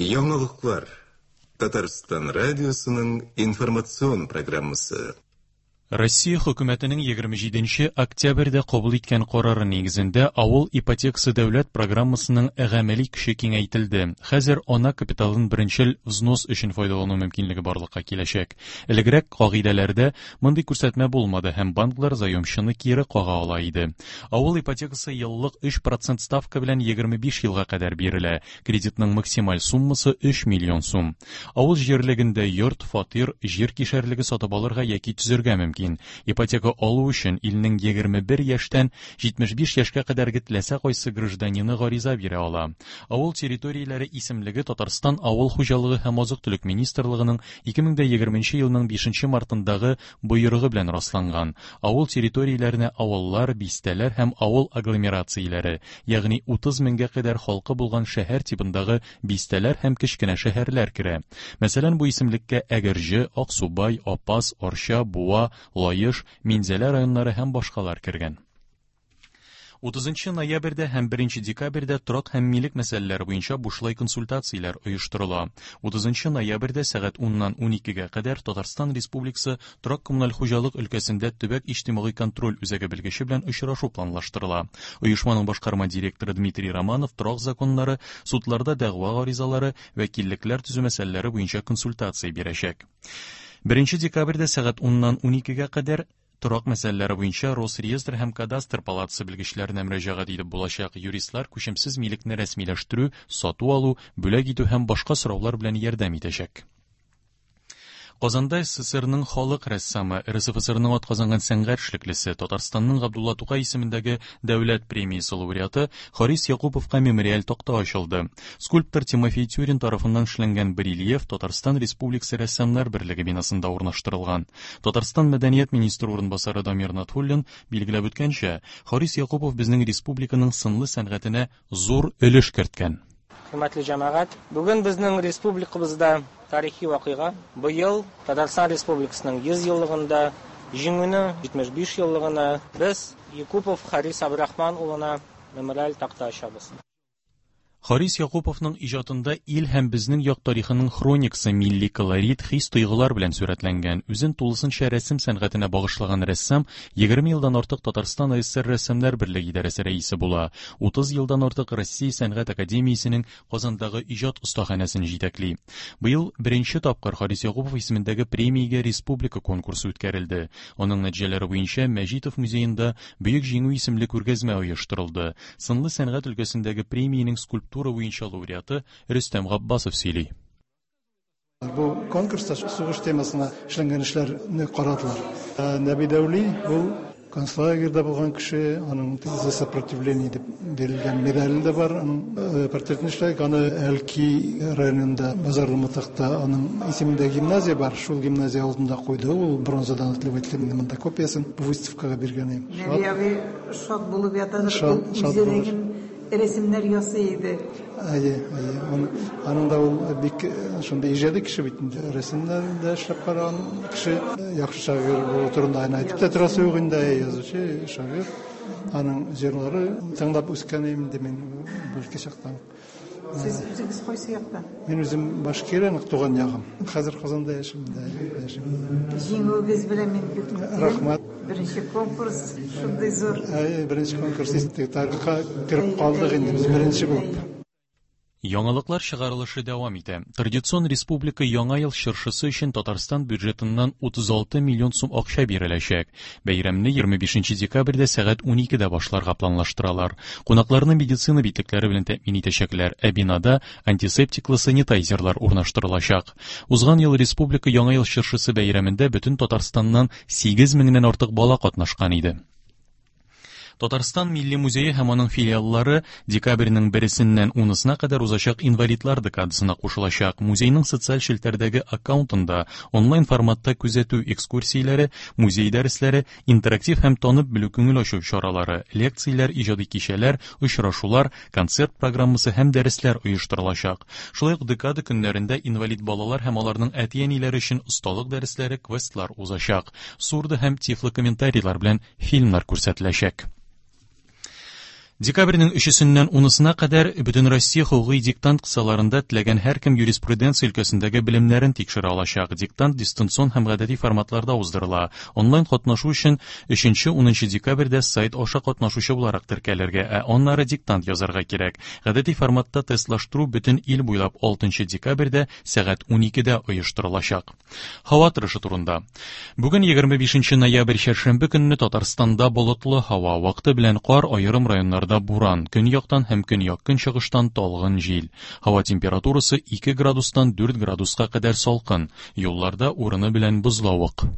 Яңалыклар. Татарстан радиосының информацион программасы. Россия хөкүмәтенең 27 нче октябрьдә кабул иткән карары нигезендә авыл ипотекасы дәүләт программасының гамәли көче киңәйтелде. Хәзер ана капиталын беренчел взнос өчен файдалану мөмкинлеге барлыкка киләчәк. Элегрәк кагыйдәләрдә мондый күрсәтмә булмады һәм банклар заемчыны кире кага ала иде. Авыл ипотекасы еллык 3 процент ставка белән 25 елга кадәр бирелә. Кредитның максималь суммасы 3 миллион сум. Авыл җирлегендә йорт, фатир, җир кишәрлеге сатып алырга яки төзергә мөмкин. Ипотека алу өчен илнең 21 яшьтән 75 яшькә кадәрге теләсә кайсы гражданины гариза бирә ала. Авыл территорияләре исемлеге Татарстан Авыл хуҗалыгы һәм азык-төлек министрлыгының 2020 елның 5 мартындагы боерыгы белән расланган. Авыл территорияләренә авыллар, бистәләр һәм авыл агломерацияләре, ягъни 30 меңгә кадәр халкы булган шәһәр тибындагы бистәләр һәм кечкенә шәһәрләр керә. Мәсәлән, бу исемлеккә Әгерҗе, Аксубай, Апас, Арча, Буа, Лаеш, Минзәлә районнары һәм башкалар кергән. 30 ноябрьдә һәм 1 декабрьдә торак һәм милек мәсьәләләре буенча бушлай консультацияләр оештырыла. 30 ноябрьдә сәгать 10-нан 12-гә кадәр Татарстан Республикасы торак-коммуналь хуҗалык өлкәсендә төбәк иҗтимагый контроль үзәге белгече белән очрашу планлаштырыла. Оешманың башкарма директоры Дмитрий Романов торак законнары, судларда дәгъва гаризалары, вәкиллекләр төзү мәсьәләләре буенча консультация бирәчәк. 1 декабрьдә сәгать 10-нан 12-гә кадәр Торак мәсьәләләре буенча Росреестр һәм Кадастр палатасы белгечләренә мөрәҗәгать итеп булачак. Юристлар күчемсез милекне рәсмиләштерү, сату-алу, бүләк итү һәм башка сораулар белән ярдәм итәчәк. Казанда СССРның халык рәссамы, РСФСРның атказанган сәнгать эшлеклесе, Татарстанның Габдулла Тукай исемендәге дәүләт премиясе лауреаты Харис Якуповка мемориаль такта ачылды. Скульптор Тимофей Тюрин тарафыннан эшләнгән барельеф Татарстан Республикасы Рәссамнар берлеге бинасында урнаштырылган. Татарстан мәдәният министры урынбасары Дамир Натуллин билгеләп үткәнчә, Харис Якупов безнең республиканың сынлы сәнгатенә зур өлеш керткән. Хөрмәтле җәмәгать, бүген безнең республикабызда тарихи вакыйга. Быел Татарстан Республикасының 100 еллыгында, Җиңүнең 75 еллыгына без Якупов Харис Абдрахман улына мемориаль такта ачабыз. Харис Якуповның иҗатында ил һәм безнең як тарихының хроникасы милли колорит, хис-тойгылар белән сурәтләнгән. Үзен тулысынча рәсем сәнгатенә багышлаган рәссам 20 елдан артык Татарстан АССР Рәссамнар берлеге идарәсе рәисе була. 30 елдан артык Россия сәнгать академиясенең Казандагы иҗат остаханәсен җитәкли. Быел беренче тапкыр Харис Якупов исемендәге премиягә республика конкурсы үткәрелде. Аның нәтиҗәләре буенча Мәҗитов музеенда Бөек Җиңү исемле күргәзмә оештырылды. Сынлы сәнгать өлкәсендәге премиянең скульптура буенча лауреаты Рөстәм Габбасов сөйли. Бу конкурста сугыш темасына эшләнгән эшләрне карадылар. Ә Нәби Дәүли ул концлагерьда булган кеше, аның за сопротивление дип бирелгән медале дә бар, аның э, портретын эшләдек. Аны Әлки районында Базарлы Матакта аның исемендә гимназия бар, шул гимназия алдында куйды. Ул бронзадан этләп әйтелә, мин монда копиясын бу выставкага биргән идем. Нәби абый шат булып ятадыр, ул үзе дә рәсемнәр ясый иде. Әйе, әйе. Аның да ул бик шундый иҗади кеше бит инде. Рәсемнәр дә эшләп караган кеше. Яхшы шагыйрь булу турында гына әйтеп тә торасы юк инде. Язучы, шагыйрь. Аның җырлары тыңлап үскән инде мин бәлки чактан. Сез үзегез кайсы яктан? Мин үзем Башкирия, туган ягым. Хәзер Казанда яшим дә, яшим. Җиңүегез белән мин бик котлыйм. Рәхмәт. Беренче конкурс шундый зур. Әйе, беренче конкурс тарихка кереп калдык инде без беренче булып. Яңалыклар чыгарылышы дәвам итә. Традицион республика Яңа ел чыршысы өчен Татарстан бюджетыннан 36 миллион сум акча биреләчәк. Бәйрәмне 25 декабрьдә сәгать 12дә башларга планлаштыралар. Кунакларны медицина битлекләре белән тәэмин итәчәкләр, ә бинада антисептиклы санитайзерлар урнаштырылачак. Узган ел республика Яңа ел чыршысы бәйрәмендә бөтен Татарстаннан 8 меңнән артык бала катнашкан иде. Татарстан Милли музее һәм аның филиаллары декабрьнең бересеннән унысына кадәр узачак инвалидлар декадасына кушылачак. Музейның социаль челтәрдәге аккаунтында онлайн форматта күзәтү экскурсияләре, музей дәресләре, интерактив һәм танып белү күңел ачу чаралары, лекцияләр, иҗади кичәләр, очрашулар, концерт программасы һәм дәресләр оештырылачак. Шулай ук декада көннәрендә инвалид балалар һәм аларның әти-әниләре өчен осталык дәресләре, квестлар узачак. Сурдо һәм тифлокомментарийлар белән фильмнар күрсәтеләчәк. Декабрьнең өчесеннән унысына кадәр Бөтенроссия хокукый диктант кысаларында теләгән һәркем юриспруденция өлкәсендәге белемнәрен тикшерә алачак. Диктант дистанцион һәм гадәти форматларда уздырыла. Онлайн катнашу өчен 3-10 декабрьдә сайт аша катнашучы буларак теркәлергә, ә аннары диктант язарга кирәк. Гадәти форматта тестлаштыру бөтен ил буйлап 6 декабрьдә сәгать 12дә оештырылачак. Һава торышы турында. Бүген 25 ноябрь чәршәмбе көнне Татарстанда болытлы һава, вакыты белән кар, аерым районнарда буран, көньяктан һәм көньяк-көнчыгыштан талгын җил. Һава температурасы 2 градустан 4 градуска кадәр салкын, юлларда урыны белән бозлавык.